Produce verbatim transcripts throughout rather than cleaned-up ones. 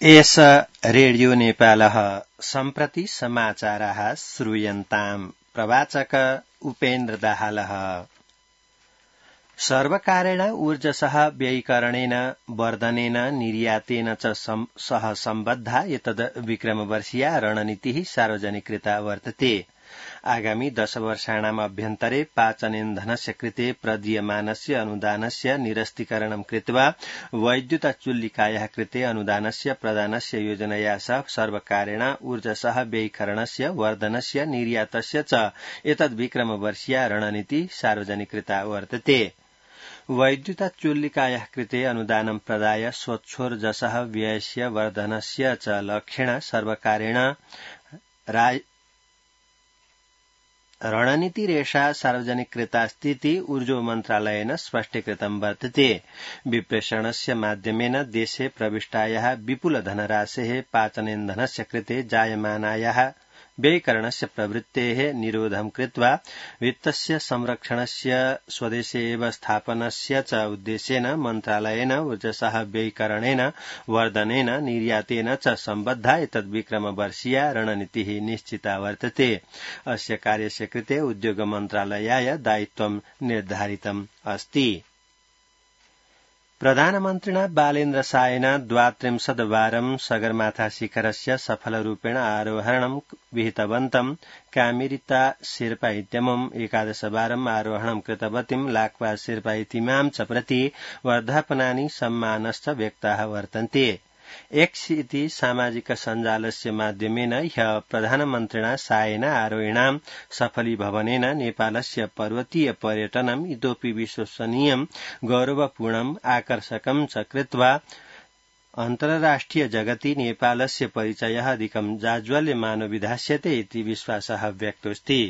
एष रेडियो नेपालः सम्प्रति समाचाराः श्रूयन्ताम्। प्रवाचक उपेन्द्र दाहालः। सर्वकारेण ऊर्जसः व्ययीकरणेन वर्धनेन निर्यातेन च सह सम्बद्धा एतद् विक्रमवर्षीया रणनीतिः सार्वजनिकृता वर्तते। आगामि दश वर्षाणाम् अभ्यन्तरे पाचनेन्धनस्य कृते प्रदीयमानस्य अनुदानस्य निरस्तीकरणं कृत्वा वैद्युतचुल्लिकायाः कृते अनुदानस्य प्रदानस्य योजनया सह सर्वकारेण ऊर्जसः व्ययीकरणस्य वर्धनस्य निर्यातस्य च एतद् विक्रमवर्षीया रणनीतिः सार्वजनिकृता वर्तते। वैद्युतचुल्लिकायाः कृते अनुदानं प्रदाय स्वच्छोर्जसः व्ययस्य वर्धनस्य च लक्ष्येण सर्वकारेण रणनीतिरेषा सार्वजनिकृतास्तीति ऊर्जो मन्त्रालयेन स्पष्टीकृतं वर्तते। विप्रेषणस्य माध्यमेन देशे प्रविष्टायाः विपुलधनराशेः पाचनेन्धनस्य कृते जायमानायाः व्ययीकरणस्य प्रवृत्तेः निरोधं कृत्वा वित्तस्य संरक्षणस्य स्वदेशे एव स्थापनस्य च उद्देश्येन मन्त्रालयेन ऊर्जसः व्ययीकरणेन वर्धनेन निर्यातेन च सम्बद्धा एतद् विक्रमवर्षीया रणनीतिः निश्चिता वर्तते। अस्य कार्यस्य कृते उद्योग मन्त्रालयाय दायित्वं निर्धारितम् अस्ति। प्रधानमन्त्रिणा बालेन्द्र शाहेन द्वात्रिंशद्वारं सगरमाथा शिखरस्य सफलरूपेण आरोहणं विहितवन्तं कामिरिता शेर्पा इत्यमुम् एकादशवारम् आरोहणं कृतवतीं लाक्पा शेर्पा इतीमां च प्रति वर्धापनानि सम्मानश्च व्यक्ताः वर्तन्ते। एक्स इति सामाजिक सञ्जालस्य माध्यमेन ह्यः प्रधानमन्त्रिणा शाहेन आरोहणां सफलीभवनेन नेपालस्य पर्वतीय पर्यटनम् इतोऽपि विश्वसनीयं गौरवपूर्णम् आकर्षकं च कृत्वा अन्तर्राष्ट्रिय जगति नेपालस्य परिचयः अधिकं जाज्वल्यमानो विधास्यते इति विश्वासः व्यक्तोऽस्ति।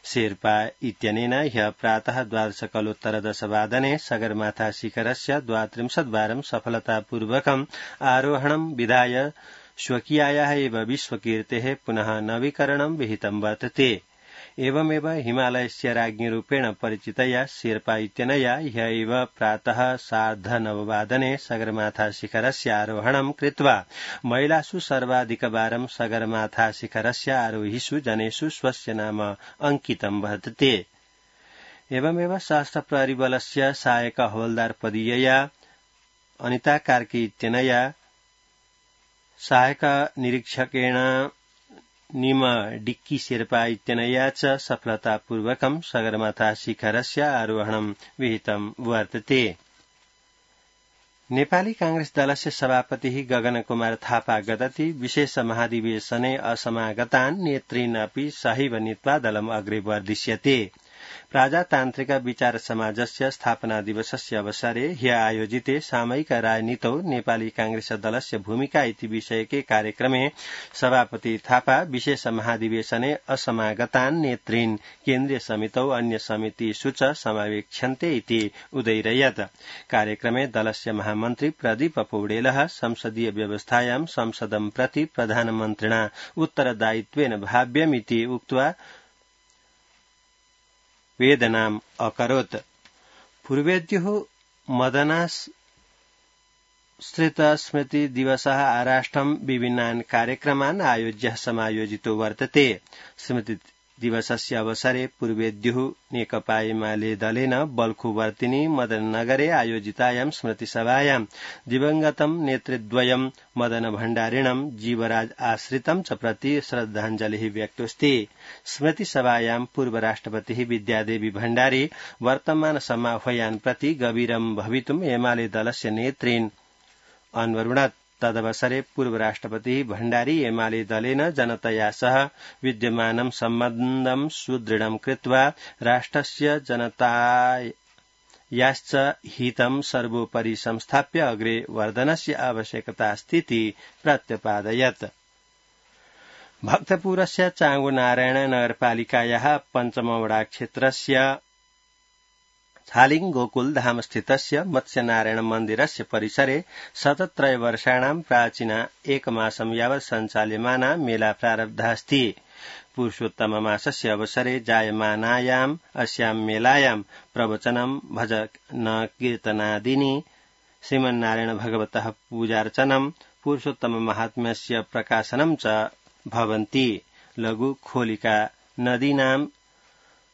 शेर्पा इत्यनेन ह्यः प्रातः द्वादशकलोत्तर दशवादने सगरमाथा शिखरस्य द्वात्रिंशद्वारं सफलतापूर्वकम् आरोहणं विधाय स्वकीयायाः एव विश्वकीर्तेः पुनः नवीकरणं विहितं वर्तते। एवमेव हिमालयस्य राज्ञीरूपेण परिचितया शेर्पा इत्यनया ह्यः एव प्रातः सार्धनववादने सगरमाथा शिखरस्य आरोहणं कृत्वा महिलासु सर्वाधिकवारं सगरमाथा शिखरस्य आरोहिषु जनेषु स्वस्य नाम अंकितं वर्तते। एवमेव सशस्त्र प्रहरीबलस्य सहायक हवलदार पदीयया अनिता कार्की इत्यनया सहायक निरीक्षकेण निम डिक्की शेर्पा इत्यनया च सफलतापूर्वकं सगरमाथा शिखरस्य आरोहणं विहितं वर्तते। नेपाली कांग्रेस दलस्य सभापतिः गगन कुमार थापा गतति विशेष महाधिवेशने असमागतान् नेतॄन् अपि सहैव नीत्वा दलम् अग्रे वर्धिष्यते। प्रजातान्त्रिक विचार समाजस्य स्थापना दिवसस्य अवसरे ह्यः आयोजिते सामयिक राजनीतौ नेपाली कांग्रेस दलस्य भूमिका इति विषयके कार्यक्रमे सभापति थापा विशेष महाधिवेशने असमागतान् नेतॄन् केन्द्रीय समितौ अन्य समितिषु च समावेक्ष्यन्ते इति उदैरयत्। कार्यक्रमे दलस्य महामन्त्री प्रदीप पौडेलः संसदीय व्यवस्थायां संसदं प्रति प्रधानमन्त्रिणा उत्तरदायित्वेन भाव्यमिति उक्त्वा वेदनाम् अकरोत्। पूर्वेद्युः मदनाश्रित स्मृति दिवसः आराष्ट्रं विभिन्नान् कार्यक्रमान् आयोज्य समायोजितो वर्तते। स्मृति दिवसस्य अवसरे पूर्वेद्युः नेकपा एमाले दलेन बल्खुवर्तिनी मदननगरे आयोजितायां स्मृतिसभायां दिवंगतं नेतृद्वयं मदन भण्डारिणं जीवराज आश्रितं च प्रति श्रद्धाञ्जलिः व्यक्तोऽस्ति। स्मृतिसभायां पूर्व राष्ट्रपतिः विद्यादेवी भण्डारी वर्तमान समाह्वयान् प्रति गभीरं भवितुम् एमाले दलस्य नेतॄन् अन्वरुणत्। तदवसरे पूर्व राष्ट्रपतिः भण्डारी एमाले दलेन जनतया सह विद्यमानं सम्बन्धं सुदृढं कृत्वा राष्ट्रस्य जनतायाश्च हितं सर्वोपरि संस्थाप्य अग्रे वर्धनस्य आवश्यकता अस्तीति प्रत्यपादयत्। भक्तपुरस्य चांगुनारायण नगरपालिकायाः पञ्चमवडा क्षेत्रस्य छालिङ गोकुल धाम स्थितस्य मत्स्यनारायण मन्दिरस्य परिसरे शतत्रय वर्षाणां प्राचीना एकमासं यावत् सञ्चाल्यमाना मेला प्रारब्धास्ति। पुरुषोत्तम मासस्य अवसरे जायमानायाम् अस्यां मेलायां प्रवचनं भजन कीर्तनादीनि श्रीमन्नारायण भगवतः पूजार्चनं पुरुषोत्तम महात्म्यस्य प्रकाशनं च भवन्ति। लघु खोलिका नदीनां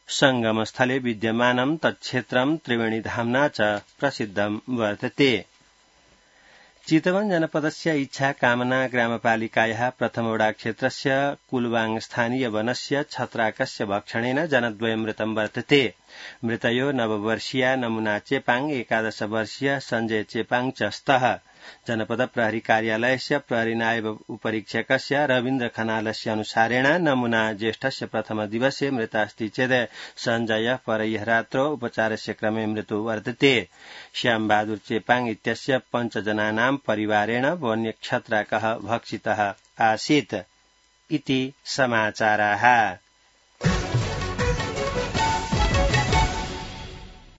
संगमस्थले विद्यमानं तत्क्षेत्रं त्रिवेणीधाम्ना च प्रसिद्धं वर्तते। चितवन जनपदस्य इच्छा कामना ग्रामपालिकायाः प्रथमवडा क्षेत्रस्य कुलवाङ स्थानीय वनस्य छत्राकस्य भक्षणेन जनद्वयं मृतं वर्तते। मृतयो नववर्षीया नमुना चेपाङ एकादश वर्षीय सञ्जय चेपाङ च स्तः। जनपद प्रहरी कार्यालयस्य प्रहरी नायब उपरीक्षकस्य रवीन्द्र खनालस्य अनुसारेण नमुना ज्येष्ठस्य प्रथम दिवसे मृतास्ति चेद सञ्जय परह्यः रात्रौ उपचारस्य क्रमे मृतो वर्तते। श्यामबहादुर चेपाङ इत्यस्य पञ्चजनानां परिवारेण वन्यक्षत्राकः भक्षितः आसीत् इति समाचाराः।